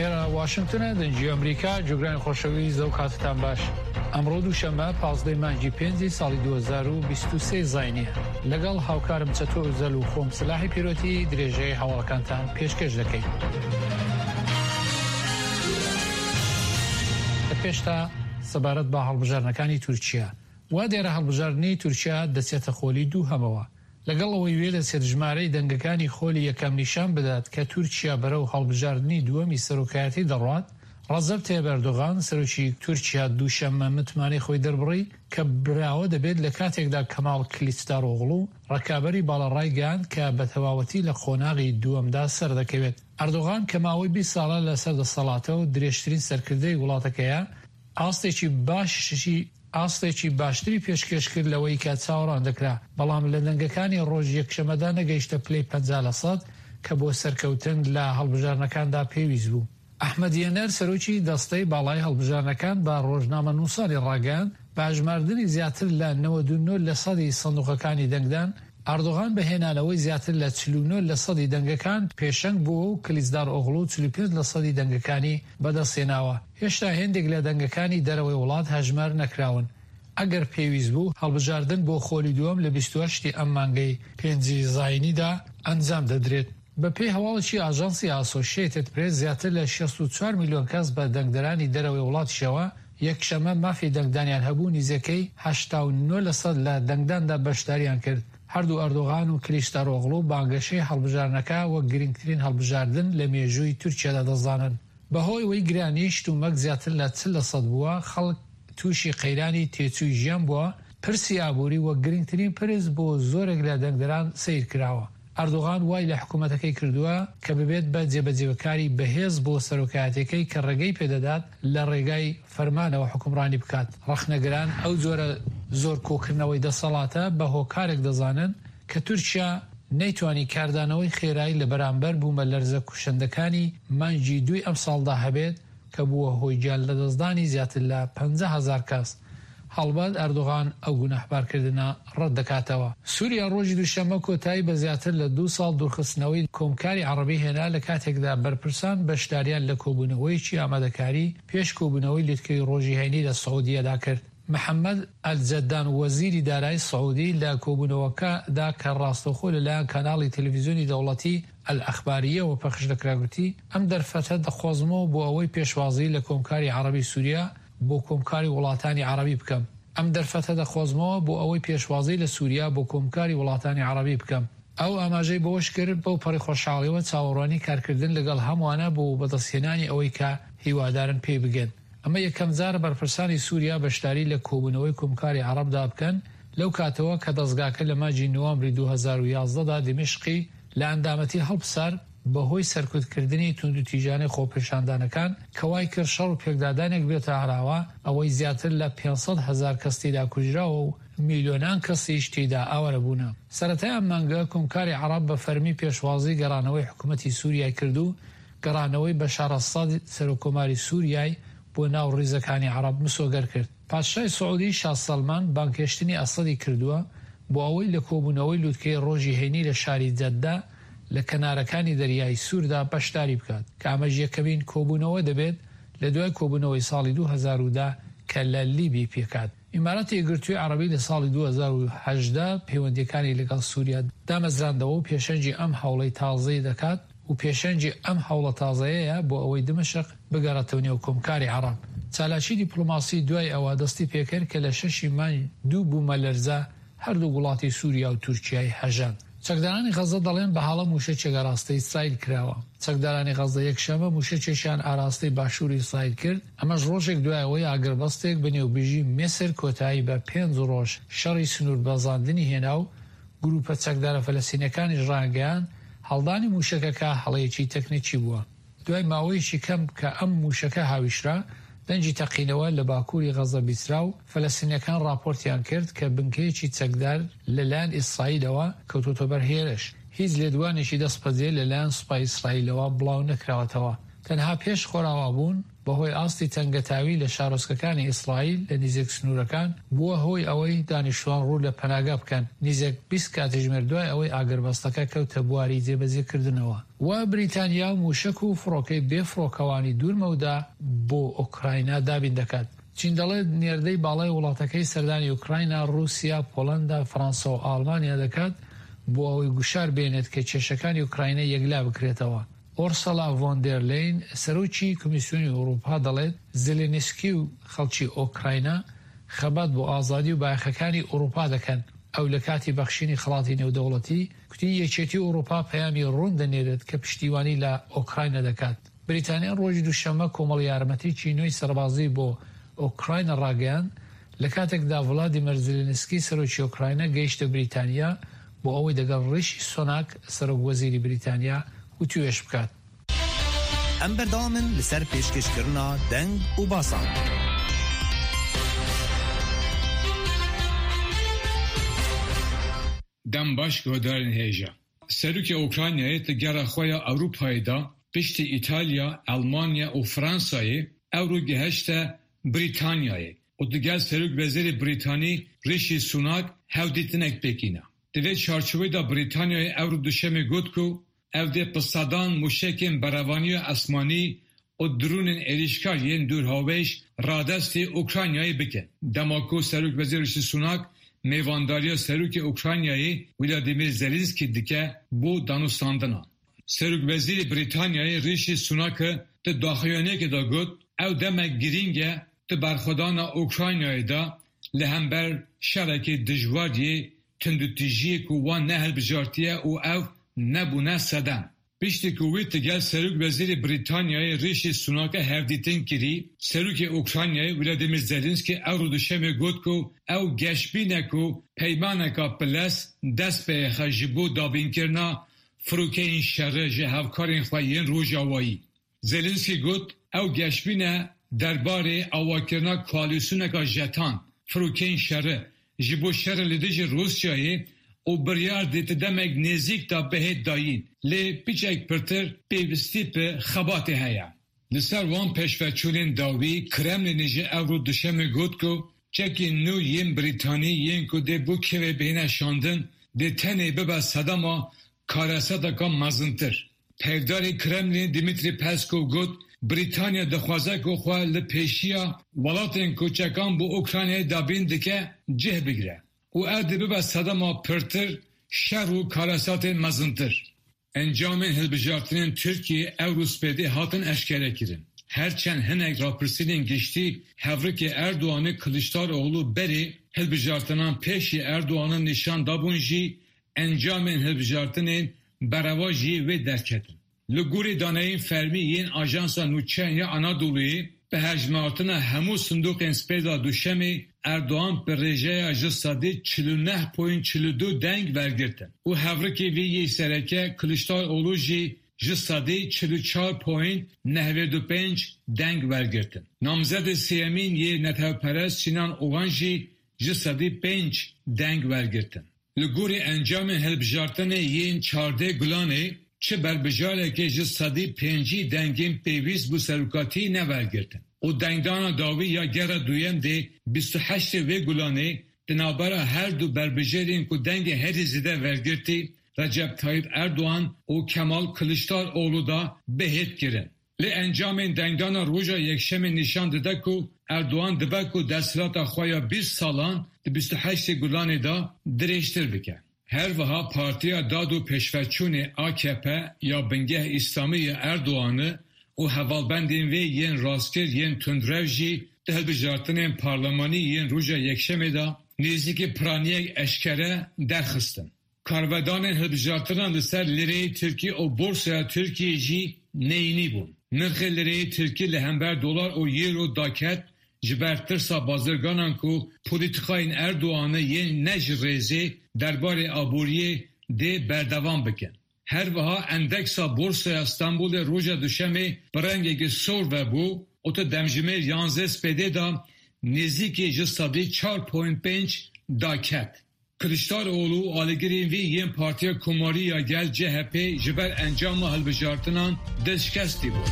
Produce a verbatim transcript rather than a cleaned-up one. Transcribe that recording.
ئێرە واشنگتنە، دەنگی ئەمریکا. جوگرانی خۆشەویست، ئەو کاتتان باش. ئەمڕۆ دووشەممە پازدەی مانگی پێنجی ساڵی دوو هەزار و بیست و سێ زاینیە. لەگەڵ هاوکارم چەتۆ ئوزەل و خۆم سلاحی پیرۆتی درێژەی هەواڵەکانتان پێشکەش دەکەین. لە پێشتا سەبارەت بە هەڵبژاردنەکانی تورکیا، وا دیارە هەڵبژاردنی تورکیا دەچێتە خۆلی دووهەمەوە. لەگەڵ ئەوەی وێ دەچێت ژمارەی دەنگەکانی خۆلی یەکەم نیشان بدات کە تورکیا بەرەو هەڵبژاردنی دووەمی سەرۆکایەتی دەڕوات، ڕەجەب تەیب ئەردۆغان سەرۆکی تورکیا دووشەممە متمانەی خۆی دەربڕی کە براوە دەبێت لە کاتێکدا کەماڵ کلیچدارئۆغڵو ڕکابەری باڵا ڕایگەیاند کە بە تەواوەتی لە قۆناغی دووەمدا سەردەکەوێت. ئەردۆغان کە ماوەی بیست ساڵە لەسەر دەسەڵاتە و درێژترین سەرکردەی وڵاتەکەیە، ئاستێکی باشی ئاستێکی باشتری پێشکێش کرد لەوەی کە چاوەڕوان دەکرا، بەڵام لە دەنگەکانی ڕۆژی یەکشەممەدا نەگەیشتە پلەی پەنجا لە سەد کە بۆ سەرکەوتن لە هەڵبژاردنەکاندا پێویست بوو. ئەحمەد یەنەر سەرۆکی دەستەی باڵای هەڵبژاردنەکان بە ڕۆژنامەنووسانی ڕاگەیاند، بە هەژماردنی زیاتر لە نەوەد و نۆ لە سەدی سندوقەکانی دەنگدان، ئەردۆغان بە هێنانەوەی زیاتر لە چل و نۆ لە سەدی دەنگەکان پێشەنگ بووە و کلیچدارئۆغڵو چل و پێنج لە سەدی دەنگەکانی بەدەستهێناوە. هێشتا هێندێک لە دەنگەکانی دەرەوەی وڵات هەژمار نەکراون. ئەگەر پێویست بوو، هەڵبژاردن بۆ خۆلی دووەم لە بیست و هەشت ی ئەم مانگەی پێنجی زایینیدا ئەنجام دەدرێت. بەپێی هەواڵێکی ئاژانسی ئاسۆشیەتد پرێس، زیاتر لە شەست و چوار ملیۆن کەس بە دەنگدەرانی دەرەوەی وڵاتیشەوە یەکشەممە مافی دەنگدانیان هەبوو، نزیکەی هەشتا و نۆ لەسەد لە دەنگداندا بەشداریان کرد. هەردوو ئەردۆغان و کلیچدارئۆغڵو بانگەشەی هەڵبژاردنەکە وەک گرنگترین هەڵبژاردن لە مێژووی تورکیادا دەزانن. بەهۆی ئەوەی گرانی شتومەک زیاتر لە چل لەسەد بووە، خەڵک تووشی قەیرانی تێچووی ژیان بووە، پرسی ئابووری وەک گرنگترین پرس بۆ زۆرێک لە دەنگدەران سەیر کراوە. ئەردۆغان وای لە حکوومەتەکەی کردووە کە ببێت بە جێبەجێکاری بەهێز بۆ سەرۆکایەتیەکەی کە ڕێگەی پێدەدات لە ڕێگای فەرمانەوە حوکمڕانی بکات. ڕەخنەگران ئەو جۆرە زۆر کۆکردنەوەی دەسەڵاتە بە هۆکارێک دەزانن کە تورکیا نەیتوانی کاردانەوەی خێرایی لە بەرامبەر بوومەلەرزە کوشندەکانی مانگی دووی ئەمساڵدا هەبێت کە بووە هۆی گیان لەدەستدانی زیاتر لە پەنجا هەزار کەس. هەڵبەت ئەردۆغان ئەو گوناهبارکردنە ڕەت دەکاتەوە. سوریا ڕۆژی دووشەممە کۆتایی بە زیاتر لە دوو ساڵ دوورخستنەوەی کۆمکاری عەڕەبی هێنا لە کاتێکدا بەرپرسان بەشداریان لە کۆبوونەوەیەکی ئامادەکاری پێش کۆبوونەوەی لوتکەی ڕۆژی هەینی لە سعودیەدا کرد. محەمەد ئەلجەدان وەزیری دارایی سعودی لە کۆبوونەوەکەدا کە ڕاستەوخۆ لەلایەن کەناڵی تەلەڤیزیۆنی دەوڵەتی ئەلئەخبارییەوە پەخش دەکرا گوتی، ئەم دەرفەتە دەقۆزمەوە بۆ ئەوەی پێشوازی لە کۆمکاری عەڕەبی سوریا بۆ کۆمکاری وڵاتانی عەڕەبی بکەم. ئەم دەرفەتە دەقۆزمەوە بۆ ئەوەی پێشوازی لە سوریا بۆ کۆمکاری وڵاتانی عەڕەبی بکەم. ئەو ئاماژەی بەوەش کرد، بەو پەڕی خۆشحاڵیەوە چاوەڕوانی کارکردن لەگەڵ هەمووانە بۆ بەدەستهێنانی ئەوەی کە هیوادارن پێی بگەن. ئەمە یەکەمجارە بەرپرسانی سوریا بەشداری لە کۆبوونەوەی کۆمکاری عەڕەبدا بکەن لەو کاتەوە کە دەزگاکە لە مانگی نوامبری دوو هەزار و یازدە دا دیمەشقی لە ئەندامەتی هەڵپسارد بەهۆی سەرکوتکردنی توندوتیژانەی خۆپێشاندانەکان کە وای کرد شەڕ و پێکدادانێک بێتە ئاراوە ئەوەی زیاتر لە پێنج سەد هەزار کەس تێیدا کوژراوە و میلیۆنان کەسیش تێیدا ئاوارە بوونە. سەرەتای ئەم مانگە کۆمکاری عەڕەب بە فەرمی پێشوازی گەڕانەوەی حکومەتی سوریای کرد و گەڕانەوەی بەشار ئەسەد سەرۆککۆماری سوریای بۆ ناو ڕیزەکانی عەڕەب مسۆگەر کرد. پادشای سعودی شا سەلمان بانگهێشتنی ئەسەدی کردووە بۆ ئەوەی لە کۆبوونەوەی لوتکەی ڕۆژی هەینی لە شاری جەدە لە کەنارەکانی دەریای سووردا بەشداری بکات کە ئەمەش یەکەمین کۆبوونەوە دەبێت لە دوای کۆبوونەوەی ساڵی دوو هەزار و دە کە لە لیبی پێکهات. ئیماراتی یەکگرتووی عەڕەبی لە ساڵی دوو هەزار و هەژدە پەیوەندییەکانی لەگەڵ سووریا دامەزراندەوە و پێشەنگی ئەم هەوڵەی تازەی دەکات و پێشەنگی ئەم هەوڵە تازەیەیە بۆ ئەوەی دمشق بگەڕێتەوە نێو کۆمکاری عەڕەب. چالاکی دیپلۆماسی دوای ئەوە دەستی پێکرد کە لە شەشی مانگ دوو بوومەلەرزە هەردوو وڵاتی سووریا و تورکیای هەژاند. چەکدارانی غەززە دەڵێن بە هەڵە مووشەکێک ئاراستەی ئیسرائیل کراوە. چەکدارانی غەززە یەکشەممە مووشەکێکیان ئاراستەی باشووری ئیسرائیل کرد، ئەمەش ڕۆژێک دوای ئەوەی ئاگربەستێک بە نێوبژی میسر کۆتایی بە پێنج ڕۆژ شەڕی سنووربەزاندنی هێنا و گرووپە چەکدارە فەلەستینییەکانیش ڕایانگەیاند هەڵدانی مووشەکەکە هەڵەیەکی تەکنیکی بووە. دوای ماوەیەکی کەم کە ئەم مووشەکە هاویشرا، دەنگی تەقینەوە لە باکووری غەززە بیسترا و فەلەستینییەکان ڕاپۆرتیان کرد کە بنکەیەکی چەکدار لەلایەن ئیسرائیلەوە کەوتۆتە بەر هێرش. هیچ لێدوانێکی دەستبەجێ لەلایەن سوپای ئیسرائیلەوە بڵاو نەکراوەتەوە. تەنها پێش خۆراوابوون، بەهۆی ئاستی تەنگەتاوی لە شارۆچکەکانی ئیسرائیل لە نزیک سنوورەکان بووە هۆی ئەوەی دانیشتوان ڕوو لە پەناگا بکەن نزیک بیست کاتژمێر دوای ئەوەی ئاگربەستەکە کەوتە بواری جێبەجێکردنەوە. و بریتانیا موشک و فڕۆکەی بێفڕۆکەوانی دوورمەودا بۆ ئۆکراینا دابین دەکات. چین دەڵێت نێردەی باڵای وڵاتەکەی سەردانی ئۆکراینا، رووسیا، پۆلندا، فەرەنسا و ئاڵمانیا دەکات بۆ ئەوەی گوشار بێنێت کە کێشەکانی ئۆکراینا یەکلا بکرێتەوە. ئۆرسەلا ڤۆن دێر لین سەرۆکی کۆمیسیۆنی ئەوروپا دەڵێت زێلێنسکی و خەڵکی ئۆکراینا خەبات بۆ ئازادی و بایەخەکانی ئەوروپا دەکەن. ئەو لە کاتی بەخشینی خەڵاتی نێودەوڵەتی کوتی یەکێتی ئەوروپا پەیامی ڕوون دەنێرێت کە پشتیوانی لە ئۆکراینا دەکات. بریتانیا ڕۆژی دووشەممە کۆمەڵ یارمەتیی نوێی سەربازی بۆ ئۆکراینا ڕاگەیاند لە کاتێکدا ڤلادیمیر زێلێنسکی سەرۆکی ئۆکراینا گەیشتە بریتانیا بۆ ئەوەی دەگەڵ ڕیشی سۆناک سەرۆک وەزیری بریتانیا وتوێژ بکات. ئەم بەردەوامن لەسەر پێشکەشکردنا دەنگ و باسان. دەم باش گۆدارên hêja. Serokê Ukraynayê di gera xwe ya Ewropayê de piştî Îtalya, Elmanya û Fransayê ewro gihişte Brîtanyayê û digel Serokwezîrê Brîtanî Rishi Sunak hevdîtinek pêk îna. Di vê çarçoveyê de Brîtanyayê ewro duşemê got ku ew dê bi sedan mûşekên berevaniya esmanî û dronên êrişkar yên dûrhavêj radestî Ukraynayê bikin. Dema ku Serokwezîr Rishi Sunak mêvandariya Serokê Ukraynayê Vladimir Zelenski dike bo danûstandinan. Serokwezîrê Brîtanyayê Rishi Sunak di daxuyaniyekê de got ew demek girîng e di berxwedana Ukraynayê de li hember şerekê dijwar yê tundûtûjiyê ku wan nehilbijartiye û ew nebûne sedem. Piştî ku wî digel Serokwezîrê Brîtanyayê Rishi Sunak hevdîtin kirî, Serokê Ukraynayê Vladimir Zelenski ewro duşemê got ku ew geşbîn e ku peymaneka bilez dest pê xe ji bo dabînkirina firokeyên şerê ji hevkarên xwe yên rojavayî. Zelenski got ew geşbîn e derbarê avakirina koalîsyoneka jetan firokeyên şerê ji bo şerê li dijî Rûsyayê û biryar dê di demek nêzik de bihê dayîn lê piçek pirtir pêwîstî bi xebatê heye. Li ser wan pêşveçûnên dawî Kremlinê ji ewro duşemê got ku çekên nû yên Brîtanî yên ku dê bo Kievê bêne şandin dê tenê bibe sedema karesateka mezintir. Peyvdarê Kremlin Dmitri Peskov got Brîtanya dixwaze ku xwe li pêşiya welatên ku çekan bo Ukraynayê dabîn dike cih bigire û ew dê bibe sedema pirtir şer û karesatên mezintir. Encamên hilbijartinên Tirkiyeyê ewro spêdê hatin eşkerekirin. Her çend hinek rapirsînên giştî hevrikê Erdoğanê Kılıçdaroğlu berê hilbijartinan pêşî Erdoğan'ın nîşan dabûn jî encamên hilbijartinên berevajî wê derketin. Li gorî daneyên fermî yên Ajansa Nûçeyan ya Anadolu'yê bi hejmartina hemû sindoqên spêda duşemê Erdoğan bi rêjeya ji sedî çil û neh point çil û du deng wergirtin û hevrikê wî yê sereke Kılıçdaroğlu jî ji sedî çil û çar point nehved û pênc deng wergirtin. Namzedê sêyemîn yê netewperest Sinan Oğan jî ji sedî pênc deng wergirtin. Li gorî encamên hilbijartinê yên çardeh Gulanê çi berbijarekê ji sedî pêncî dengên pêwîst bû serokatî newergirtin. û dengdana dawî ya gera duyem dê bîst û heştê vê Gulanê di navbera her du berbijarên ku dengê herî zêde wergirtî Recep Tayyip Erdoğan û Kemal Kılıçdaroğlu da bihêt kirin. Lê encamên dengdana roja yekşemê nîşan dide ku Erdoğan dibe ku desthilata xwe ya bîst salan di bîst û heştê Gulanê de dirêjtir bike. Her wiha Partiya Dad û Pêşveçûnê A K P ya bingeh Îslamî ya Erdoğanê û hevalbendên wê yên rastgir yên tundrev jî di hilbijartinên parlemanî yên roja yekşemê de nêzîkî piraniyek eşkere derxistin. Karvedanên hilbijartinan li ser lireyê Tirkî û borsaya Tirkiyê jî neyînî bûn. Nirxê lireyê Tirkî li hember dolar û euro daket ji ber tirsa bazirganan ku polîtîkayên Erdoğanê yên ne ji rêzê derbarê aboriyê dê berdewam bikin. Her wiha endeksa Borsaya Stenbolê roja duşemê bi rengekî sor vebû û di demjimêr yanzdeh spêdê de nêzîkî ji sedî çar point pênc daket. Kılıçdaroğlu û alîgirên wî yên Partiya Komarî ya Gel C H P ji ber encama hilbijartinan dilşikestî bû.